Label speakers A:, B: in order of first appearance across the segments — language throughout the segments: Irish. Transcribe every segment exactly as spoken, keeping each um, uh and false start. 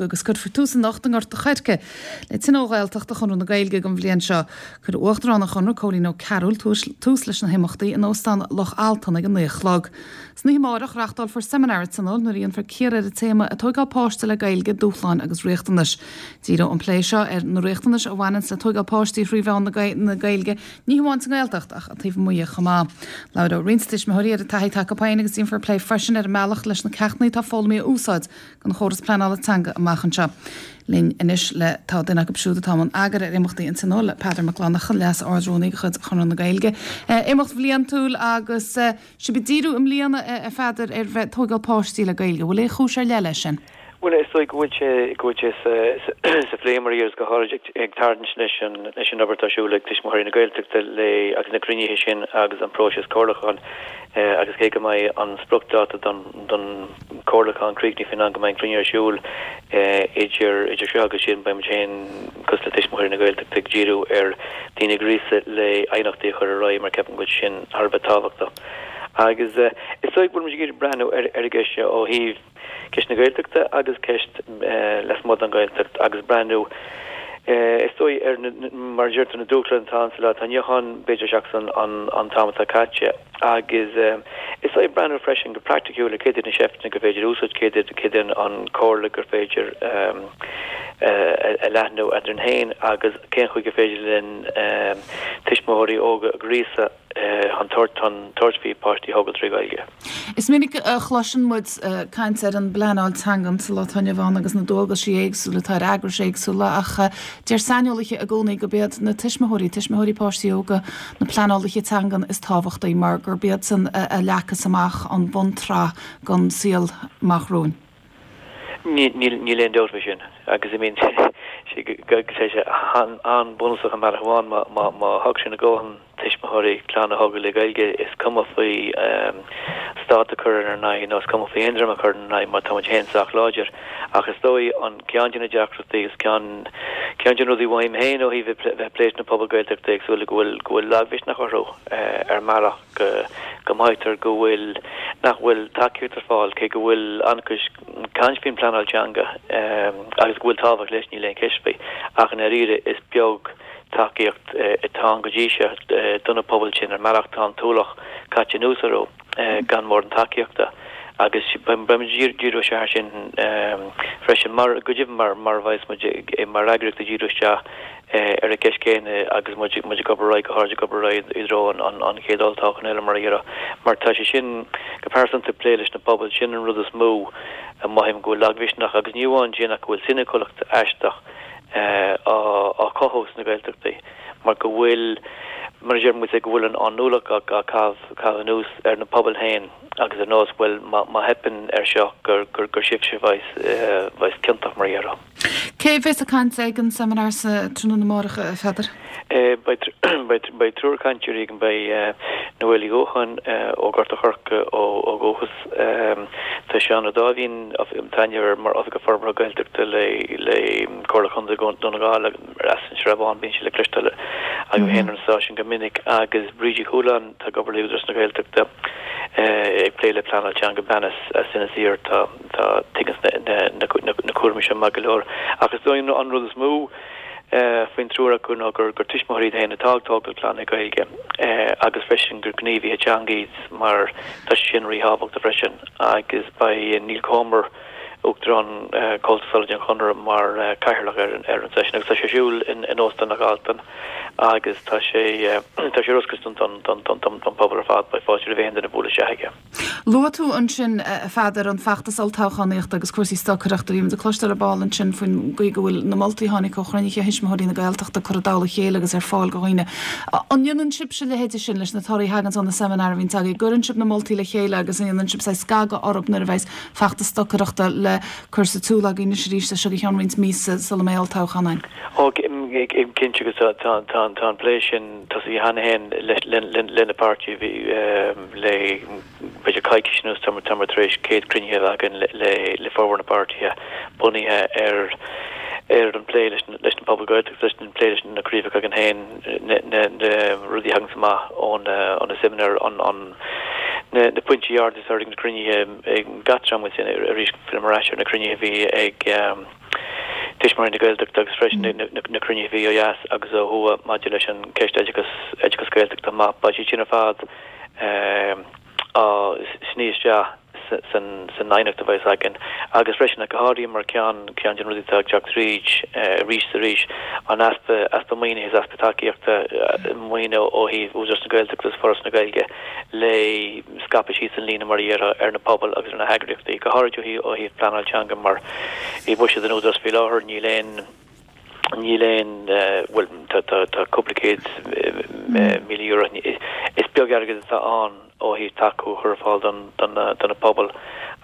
A: Agus cuirfear tús anocht i nGort a' Choirce le Tionól Ghaeltachta Chonradh na Gaeilge don bhliain seo. Cuirfidh Uachtarán an Chonradh Cóilín Ó Cearúil tús leis na himeachtaí in Óstán Loch Altan ag a naoi a chlog. San oíche amárach reáchtálfar seimineár an Tionóil nuair a dhéanfar cíoradh ar an téama ag tógáil páiste le Gaeilge, dúshláin agus riachtanais. Díreoidh an plé seo ar na riachtanais a bhaineann le tógáil páistí thrí mheán na Gaeilge, ní hamháin sa nGaeltacht ach taobh amuigh chomh maith. Labhróidh roinnt tuismitheoirí ar a dtaithí atá acu féin agus déanfar plé freisin ar an mbealach leis na ceachtanna atá foghlamtha a úsáid don chóras pleanála teanga amach anseo. Linn anois le tá duine acu siúd atá mar eagar ar imeachtaí an Tionóil, Peadar Mac Fhlannchadha, Leas-Ard-Rúnaí de chuid Chonradh na Gaeilge. Imeacht bhliantúil agus sibh ag díriú i mbliana a Pheadair ar bheith tógáil páistí le Gaeilge. Bhfuil aon chúis ar leith leis sin?
B: Bhuel is dóigh go bhfuil sé go bhfuil sé sa phlé mar is go háirid ag tarraingt leis an leis an obair atá ar siúl ag Tuismitheoirí na Gaeltachta le agus na cruinnithe sin agus an próiseas comhairliúcháin agus cé go mbeidh an spriocdháta don don chomhairliúchán críochnaithe faoin am go mbeidh an cruinniú ar siúl idir idir seo agus sin beidh muid féin cosúil le Tuismitheoirí na Gaeltachta ag díriú ar daoine a ghríosadh le aighneachtaí a chur ar aghaidh mar ceapaim go bhfuil sin thar a bheith tábhachtach. Agus is dóigh go bhfuil muid ag iarraidh breathnú ar ar an gceist seo ó thaobh ceist na Gaeltachta agus ceist lasmuigh den Ghaeltacht agus breathnú is dóigh ar mar a deirtear na dúshláin atá ann sa lá atá inniu ann b'fhéidir seachas an an an t-am atá caite agus is dóigh breathnú freisin go praiticiúil ar céard iad na seifteanna gur féidir úsáid céard iad céard é an comhairle gur féidir a leathnú eadrainn féin agus cén chaoi gur féidir linn tuismitheoirí óga a ghríosadh chun tabhairt chun tabhairt faoi páistí a thógáil trí Ghaeilge.
A: Is minic a chloiseann muid caint ar an bpleanáil teangan sa lá atá inniu ann agus na dualgaisí éagsúla atá ar eagrais éagsúla ach deir saineolaithe i gcónaí gurb iad na tuismitheoirí, tuismitheoirí páistí óga, na pleanálaithe teangan is tábhachtaí mar gurb iadsan a leagfas amach an bhuntsraith don saol amach romhainn.
B: Níl aon dabht faoi sin agus I mean sé sé an-bhunúsach an bealach amháin má má thug sin a ndóthain tuismitheoirí clann a thógáil le Gaeilge is cuma faoi stát a chur ar n-aghaidh nó is cuma faoi aon dream a chur ar n-aghaidh má tá muid féin sách láidir ach is dóigh an ceann de na deacrachtaí is ceann ceann de na rudaí uaim féin ó thaobh bheith pléis na pobal Gaeltachta éagsúla go bhfuil go bhfuil lagmhisneach orthu ar mbealach go go mothaítear go bhfuil nach bhfuil tacaíocht ar fáil cé go bhfuil an-chuid caint faoin pleanáil teanga agus go bhfuil tábhacht leis níl aon cheist faoi ach i ndáiríre is beag tacaíocht atá ann go dtí seo do na pobail sin ar mbealach tá an t-ualach caite anuas orthu gan mórán tacaíochta agus beimid díriú isteach sin freisin mar go deimhin mar mar a bheas muid mar eagraíocht ag díriú isteach ar an gceist chéanna agus muid muid ag obair ar aghaidh go háirid ag obair ar aghaidh i dtreo an an chéad olltoghchán eile mar a déarfá mar tá sé sin go pearsanta plé leis na pobail sin an rud is mó a mothaím go bhfuil lagmhisneach agus ní amháin sin ach go bhfuil soiniciúlacht aisteach á á cothú sna Gaeltachtaí mar go bhfuil mar a deir muid go bhfuil an an ualach á chaitheamh chaitheamh anuas ar na pobail féin agus ar nós bhfuil má theipeann ar seo gur gur gur sibhse bheas bheas ciontach mar a déarfá.
A: Cé bheas ag caint ag an seimineár sa tráthnóna amárach a Pheadair?
B: Beidh triúr cainteoirí againn beidh Noel Uí Dhúcháin ó Gort a' Choirce ó ó dhúchas tá Seán Ó Dáimhín tá aithne mar Oifigeach Forbartha Gaeltachta le le Comhairle Chontae Dhún na nGall as an Srath Bán bíonn sé le cloisteáil agam féin ar an stáisiún go minic agus Bríd Uí Chualáin tá ag obair le Údarás na Gaeltachta ag plé le pleanáil teanga bean as as Inis Oírr tá tá tuigeann na na na cúraimí seo maith go leor agus is dóigh an rud is mó faoin triúr acu ná gur gur tuismitheoirí iad féin atá ag tógáil clann le Gaeilge agus freisin gur gníomhaithe teanga iad mar tá sé sin ríthábhachtach freisin agus beidh Neil Comer Uachtarán Comhaltas Sealadach an Chonradh mar chathaoirleach ar an ar an seisiún agus tá sé ar siúl in in Óstán Loch Altan agus tá sé tá sé ar oscailt don don don don don don pobal ar fad beidh fáilte roimh aon duine bualadh isteach aige.
A: Luaigh tú ansin a Pheadair an feachtas olltoghchánaíochta agus cúrsaí stocaireachta bhí muid ag cloisteáil ar ball ansin faoin gcaoi go bhfuil na moltaí a tháinig ó chruinnithe thuismitheoirí na Gaeltachta curtha i dtoll a chéile agus ar fáil do dhaoine. An ndéanann sibhse a leithéide sin leis na torthaí a thagann ó na seimineáir a bhíonn agaibh, gcuireann sibh na moltaí le chéile agus an ndéanann sibh saghas scagadh orthu nuair a bheas feachtas stocaireachta le cur sa tsiúl againn anois arís seo go ceann roinnt míosa sula mbeidh olltoghchán ann.
B: Ó cinnte agus tá tá tá an plé sin tosaithe cheana féin le le na páirtithe bhí le b'fhéidir coicís anuas tá tá muid tar éis céad cruinnithe a bheith againn le le formhór na páirtithe bunaithe ar ar an plé leis leis na pobail Gaeltachta leis an plé leis na craobhacha againn féin na na na rudaí a thagann amach ón ó na seimineáir an an na na pointí arda is ag na cruinnithe ag gach dream sin arís fillim ar ais ar na cruinnithe a bhí ag Tuismitheoirí na Gaeltachta agus freisin na cruinnithe a bhí ó dheas agus ó thuaidh maidir leis an ceist oideachas oideachas Gaeltachta maith beidh siad sin ar fad á sní isteach san san aighneacht a bheas againn agus freisin go háirithe mar ceann ceann de na rudaí atá ag teacht tríd arís is arís an easpa easpa maoinithe is easpa tacaíochta maoine ó thaobh Údarás na Gaeltachta agus Foras na Gaeilge le scaipeadh síos an líne mar a déarfá ar na pobail agus ar na heagraíochtaí, go háirithe ó thaobh pleanáil teanga mar i mbuiséad an Údaráis faoi láthair níl aon níl aon bhuel tá tá tá cúpla céad míle euro is beag airgead atá ann ó thaobh tacú a chur ar fáil don don do na pobail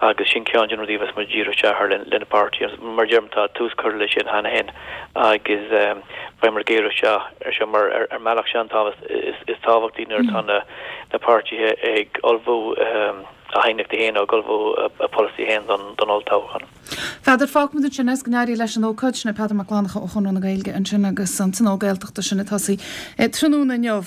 B: agus sin ceann de na rudaí a bheas muid ag díriú isteach air le na páirtithe. Mar a deirim tá tús curtha leis sin cheana féin agus beidh muid ag géarú isteach ar seo mar ar mbealach sin an tábhacht is tábhachtaí nuair atá na na páirtithe ag ullmhú a n-aighneachtaí féin nó ag ullmhú a bpolasaí féin don don olltoghchán.
A: Peadar, fágfaimid ansin é is go n-éirí leis an ócáid sin é Peadar Mac Fhlannchadha ó Chonradh na Gaeilge ansin agus an Tionól Gaeltachta sin ag tosaí tráthnóna inniu.